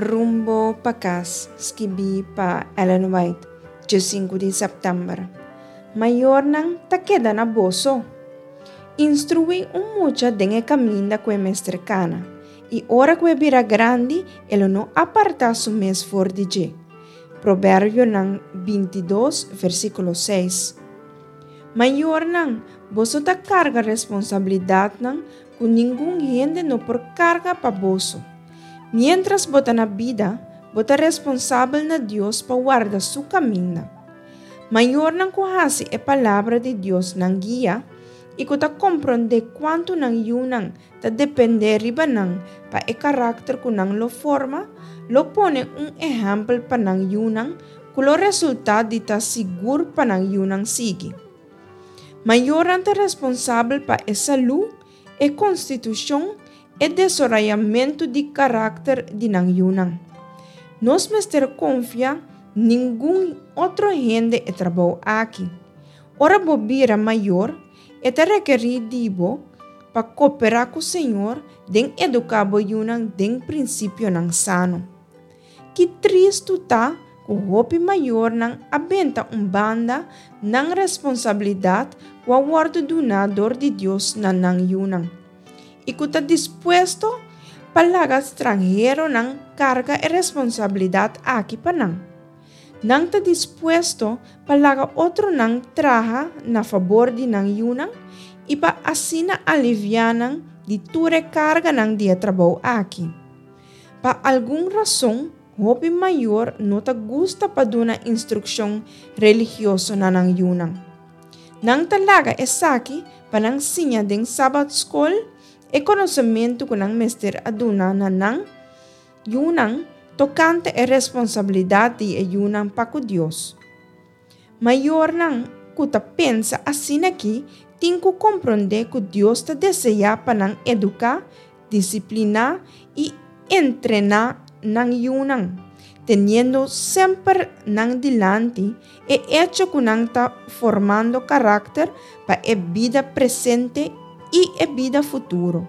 Rumbo pa kas, skibí pa Ellen White, djesinku di sèptèmber. Mayornan ta keda na boso. Instruí un mucha den e kaminda ku e mester kana, i ora ku e bira grandi e lo no apartá su mes for di dje. Proverbionan bintidos, versíkulo seis. Mayornan, boso ta karga responsabilidatnan ku ningun hende no por karga pa boso. Miéntras bo ta na bida, bo ta responsabel na Dios pa warda su kaminda. Mayornan ku hasi e Palabra di Dios nan guia i ku ta komprondé kuantu nan yunan ta dependé riba nan pa e karakter ku nan lo forma, lo pone un ehèmpel pa nan yunan ku lo resultá di ta sigur pa nan yunan sigui. Mayornan ta responsabel pa e salú, e konstitushon, e desorayamentu di karakter di nan yunan. Nos mester konfia ningun otro hende e trabou aki. Ora bo bira mayor, e ta rekerí di bo pa koperá ku Señor den eduká bo yunan den prinsipionan sano. Ki tristu ta ku hopi mayornan a benta un banda nan responsabilidat ku a wòrdu duná dor di Dios na nan yunan, i ku ta dispuesto pa laga stranheronan karga e responsabilidat aki pa nan. Nan ta dispuesto pa laga otronan traha na fabor di nan yunan i pa asina aliviá nan di tur e karganan di e trabou aki. Pa algun rason, hopi mayor no ta gusta pa duna instrukshon religioso na nan yunan. Nan ta laga esaki pa nan siña den Sabat skol e konosementu ku nan mester a duna na nan yunan tokante e responsabilidat di e yunan pa ku Dios. Mayornan ku ta pensa asin'akí tin ku komprondé ku Dios ta deseá pa nan eduká, disipliná i entrená nan yunan, teniendo semper nan dilanti e echo ku nan ta formando karakter pa e bida presente i e bida futuro.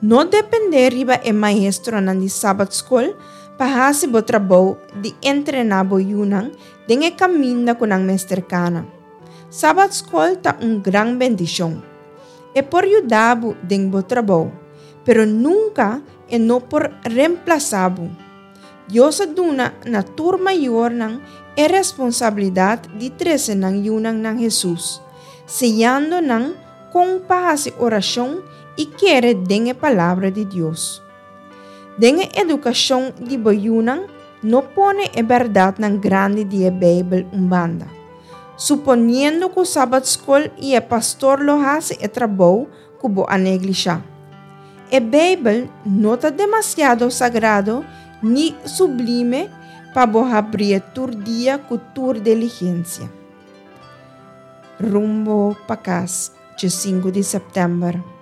No dependé riba e maestronan di Sabat Skol pa hasi bo trabou di entrená bo yunan den e kaminda ku nan mester kana. Sabat Skol ta un gran bendishon. E por yuda bo den bo trabou, pero nunka e no por remplasá bo. Dios a duna na tur mayornan e responsabilidat di trese nan yunan na Hesus, siñando nan kon pa hasi orashon i kere den e Palabra di Dios. Den e edukashon di bo yunan, no pone e bèrdatnan grandi di e Beibel un banda, suponiendo ku Sabat Skol i e pastor lo hasi e trabou ku bo a neglishá. E Beibel no ta demasiado sagrado ni sublime pa bo habrié tur dia ku tur diligensia. Rumbo pa kas, dje sinku di sèptèmber.